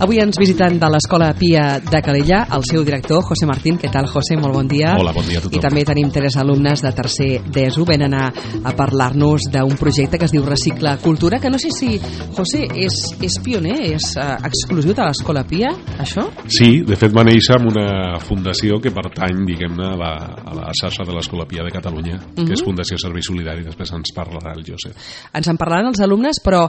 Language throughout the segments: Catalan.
Avui ens visiten de l'Escola Pia de Calella el seu director, José Martín. Què tal, José? Molt bon dia. Hola, bon dia a tothom. I també tenim 3 alumnes de tercer d'ESO. Venen a parlar-nos d'un projecte que es diu Recicla Cultura, que no sé si, José, és pioner, és exclusiu de l'Escola Pia, això? Sí, de fet va néixer amb una fundació que pertany, diguem-ne, a la xarxa de l'Escola Pia de Catalunya, que és Fundació Servei Solidari. Després ens parlarà el Josep. Ens en parlaran els alumnes, però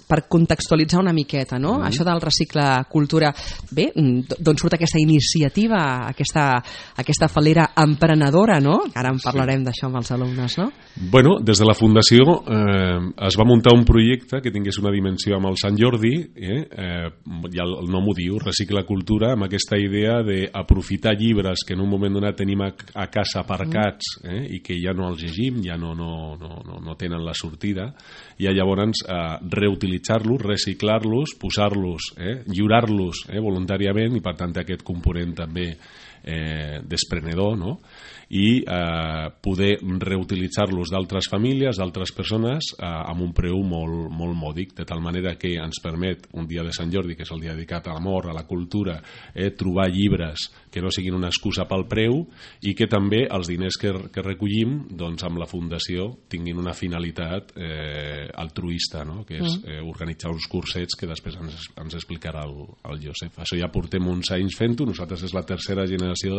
per contextualitzar una miqueta, no? Això del Recicla Cultura. Bé, d'on surt aquesta iniciativa, aquesta falera emprenedora, no? Ara en parlarem d'això amb els alumnes, no? Bueno, des de la Fundació es va muntar un projecte que tingués una dimensió amb el Sant Jordi, ja el nom ho diu, Recicla Cultura, amb aquesta idea d'aprofitar llibres que en un moment donat tenim a casa aparcats i que ja no els llegim, ja no tenen la sortida, i llavors reutilitzar-los, reciclar-los, posar-los, lliurar-los voluntàriament, i per tant aquest component també desprenedor, no? I poder reutilitzar-los d'altres famílies, d'altres persones, amb un preu molt, molt mòdic, de tal manera que ens permet un dia de Sant Jordi, que és el dia dedicat a l'amor, a la cultura, trobar llibres que no siguin una excusa pel preu, i que també els diners que recollim, doncs, amb la Fundació tinguin una finalitat altruista, no? Que és organitzar uns cursets que després ens explicarà el Josep. Això ja portem uns anys fent-ho. Nosaltres és la tercera generació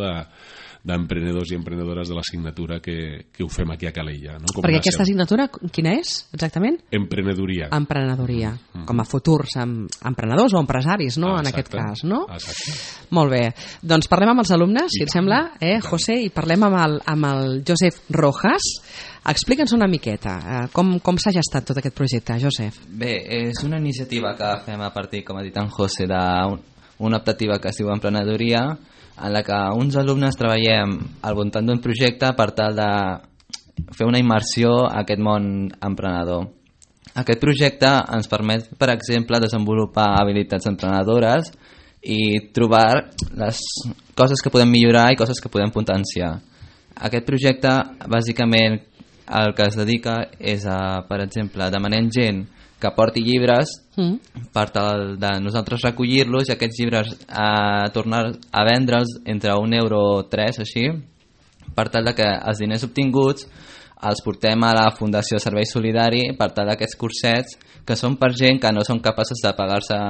d'emprenedors i emprenedores de l'assignatura que ho fem aquí a Calella, no? Perquè aquesta assignatura quina és, exactament? Emprenedoria. Emprenedoria, com a futurs emprenedors o empresaris, no? En aquest cas, no? Exacte. Molt bé. Doncs parlem amb els alumnes, si et sembla, José, i parlem amb el Josep Rojas. Explica'ns una miqueta com s'ha gestat tot aquest projecte, Josep. Bé, és una iniciativa que fem a partir, com ha dit en José, d'una optativa que es diu Emprenedoria, en la que uns alumnes treballem al voltant d'un projecte per tal de fer una immersió a aquest món emprenedor. Aquest projecte ens permet, per exemple, desenvolupar habilitats emprenedores i trobar les coses que podem millorar i coses que podem potenciar. Aquest projecte, bàsicament, el que es dedica és a, per exemple, demanem gent que porti llibres per tal de nosaltres recollir-los i aquests llibres tornar a vendre'ls entre €1 així, per tal de que els diners obtinguts els portem a la Fundació Servei Solidari per tal d'aquests cursets que són per gent que no són capaços de pagar-se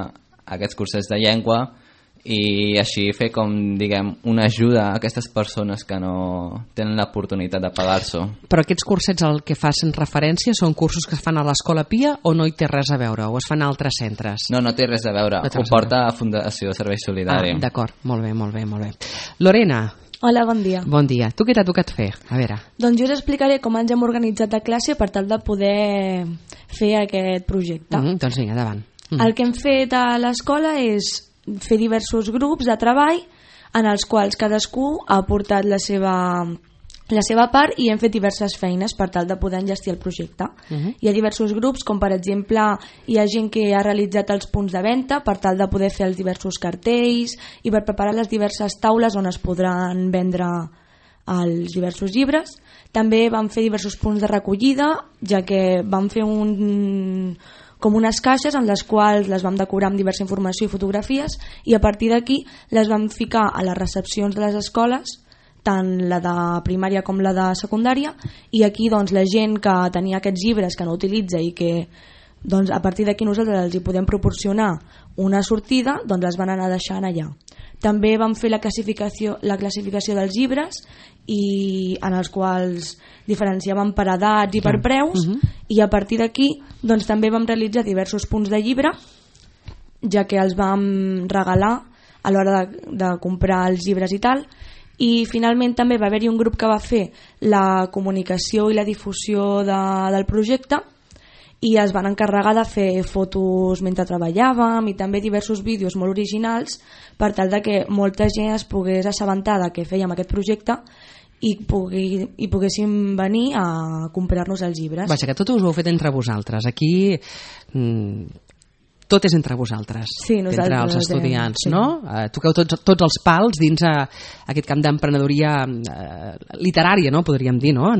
aquests cursets de llengua, i així fer, com diguem, una ajuda a aquestes persones que no tenen l'oportunitat de pagar-s'ho. Però aquests cursets al que facin referència són cursos que es fan a l'Escola Pia o no hi té res a veure, o es fan a altres centres? No té res a veure, ho porta a Fundació Servei Solidari. D'acord, molt bé. Lorena. Hola, bon dia. Bon dia. Tu què t'ha tocat fer? A veure. Doncs jo us explicaré com ens hem organitzat a classe per tal de poder fer aquest projecte. Doncs vinga, endavant. El que hem fet a l'escola és fer diversos grups de treball en els quals cadascú ha aportat la seva part i hem fet diverses feines per tal de poder enllestir el projecte. Hi ha diversos grups, com per exemple hi ha gent que ha realitzat els punts de venda per tal de poder fer els diversos cartells i per preparar les diverses taules on es podran vendre els diversos llibres. També vam fer diversos punts de recollida, ja que vam fer com unes caixes en les quals les vam decorar amb diversa informació i fotografies, i a partir d'aquí les vam ficar a les recepcions de les escoles, tant la de primària com la de secundària, i aquí doncs la gent que tenia aquests llibres que no utilitza i que doncs, a partir d'aquí nosaltres els hi podem proporcionar una sortida, doncs les van anar deixant allà. També vam fer la classificació dels llibres, i en els quals diferenciàvem per edats i per preus, i a partir d'aquí doncs, també vam realitzar diversos punts de llibre, ja que els vam regalar a l'hora de comprar els llibres i tal. I finalment també va haver-hi un grup que va fer la comunicació i la difusió del projecte, i es van encarregar de fer fotos mentre treballàvem i també diversos vídeos molt originals per tal de que molta gent es pogués assabentar de què fèiem aquest projecte i poguéssim venir a comprar-nos els llibres. Vaja, que tot us ho heu fet entre vosaltres. Aquí tot és entre vosaltres, Sí, nosaltres entre els ho estudiants, fem, sí. no? Toqueu tots els pals dins aquest camp d'emprenedoria literària, no? Podríem dir, no?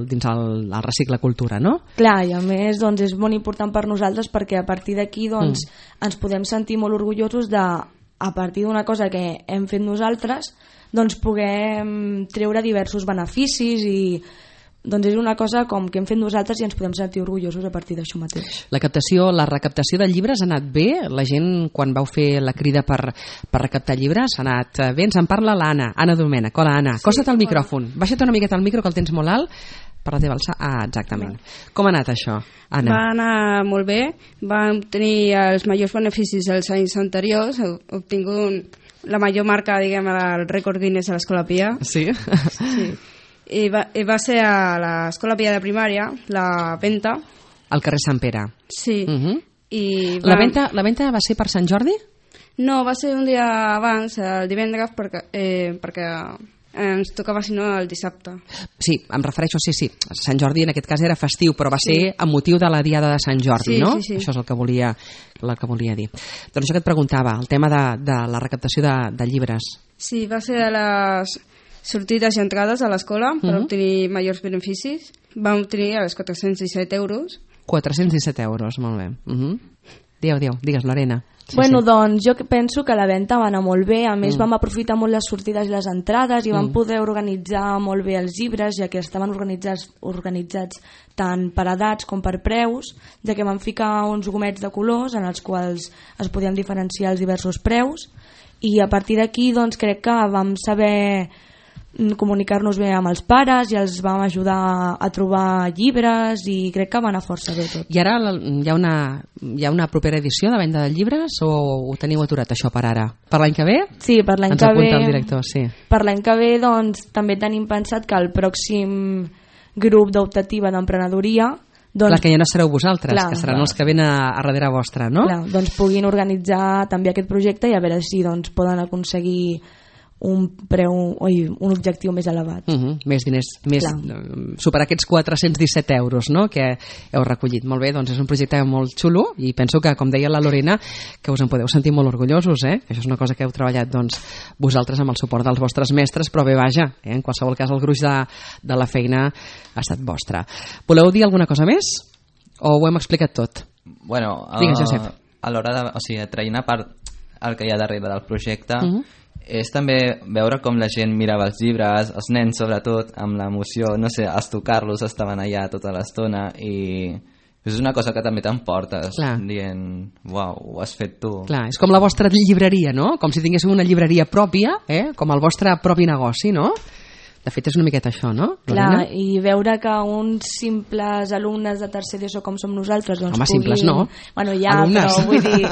Dins el Recicle Cultura, no? Clar, i a més doncs, és molt important per nosaltres perquè a partir d'aquí doncs, ens podem sentir molt orgullosos de, a partir d'una cosa que hem fet nosaltres, doncs puguem treure diversos beneficis i doncs és una cosa com que hem fet nosaltres i ens podem sentir orgullosos a partir d'això mateix. La recaptació de llibres ha anat bé? La gent, quan vau fer la crida per recaptar llibres, ha anat bé? Ens en parla l'Anna, Anna Domènech. Hola, Anna. Costa't el micròfon. Baixa't una miqueta el micro, que el tens molt alt, per la teva alçada. Ah, exactament. Com ha anat això, Anna? Va anar molt bé. Vam obtenir els majors beneficis els anys anteriors. Heu obtingut la major marca, diguem, el rècord Guinness a l'Escola Pia. Sí? Sí. I va ser a l'Escola Pia de primària, la venta. Al carrer Sant Pere. Sí. I La venta va ser per Sant Jordi? No, va ser un dia abans, el divendres, perquè ens tocava, si no, el dissabte. Sí, em refereixo, sí. Sant Jordi en aquest cas era festiu, però va ser amb motiu de la Diada de Sant Jordi, Sí, no? sí. Això és el que volia dir. Doncs això que et preguntava, el tema de la recaptació de llibres. Sí, va ser de les sortides i entrades a l'escola per obtenir majors beneficis. Vam obtenir els 417 euros. 417 euros, molt bé. Digues, Lorena. Bueno, doncs jo penso que la venda va anar molt bé, a més vam aprofitar molt les sortides i les entrades i vam poder organitzar molt bé els llibres, ja que estaven organitzats tant per edats com per preus, ja que vam ficar uns gomets de colors en els quals es podien diferenciar els diversos preus, i a partir d'aquí doncs crec que vam saber comunicar-nos bé amb els pares i els vam ajudar a trobar llibres i crec que va anar força bé tot. I ara hi ha una propera edició de venda de llibres o ho teniu aturat això per ara? Per l'any que ve? Sí, per l'any Ens que ve. apunta el director, sí. Per l'any que ve doncs també tenim pensat que el pròxim grup d'optativa d'emprenedoria doncs, Clar, que ja no sereu vosaltres, clar, que seran els que venen a darrere vostra, no? clar, doncs puguin organitzar també aquest projecte i a veure si doncs, poden aconseguir un objectiu més elevat. Més diners, superar aquests 417 euros, no?, que heu recollit. Molt bé, doncs és un projecte molt xulo i penso que, com deia la Lorena, que us en podeu sentir molt orgullosos, Això és una cosa que heu treballat doncs, vosaltres amb el suport dels vostres mestres, però bé, vaja, en qualsevol cas el gruix de la feina ha estat vostra. Voleu dir alguna cosa més? O ho hem explicat tot? Bueno, Digues, Josep. a l'hora de... O sigui, traient a part el que hi ha darrere del projecte, és també veure com la gent mirava els llibres, els nens sobretot, amb l'emoció, no sé, els tocar-los estaven allà tota l'estona i és una cosa que també t'emportes dient, uau, ho has fet tu. Clar, és com la vostra llibreria, no? Com si tinguéssiu una llibreria pròpia, com el vostre propi negoci, no? De fet, és una miqueta això, no, Lorena? Clar, i veure que uns simples alumnes de tercer d'ESO com som nosaltres doncs Home, simples no. Bueno, ja, alumnes. però vull dir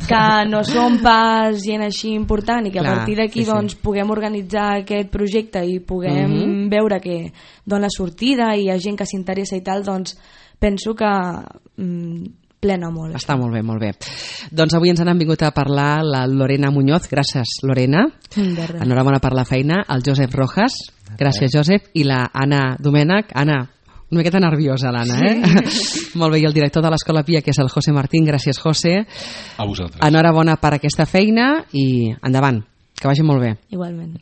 que no som pas gent així important i que a partir d'aquí doncs, puguem organitzar aquest projecte i puguem veure que dona sortida i hi ha gent que s'interessa i tal, doncs penso que plena molt. Està molt bé, molt bé. Doncs avui ens han vingut a parlar la Lorena Muñoz, gràcies Lorena, enhorabona per la feina, el Josep Rojas, gràcies Josep, i la Anna Domènech. Anna, una miqueta nerviosa l'Anna, Molt bé, i el director de l'Escola Pia, que és el José Martín, gràcies José. A vosaltres. Enhorabona per aquesta feina i endavant, que vagi molt bé. Igualment.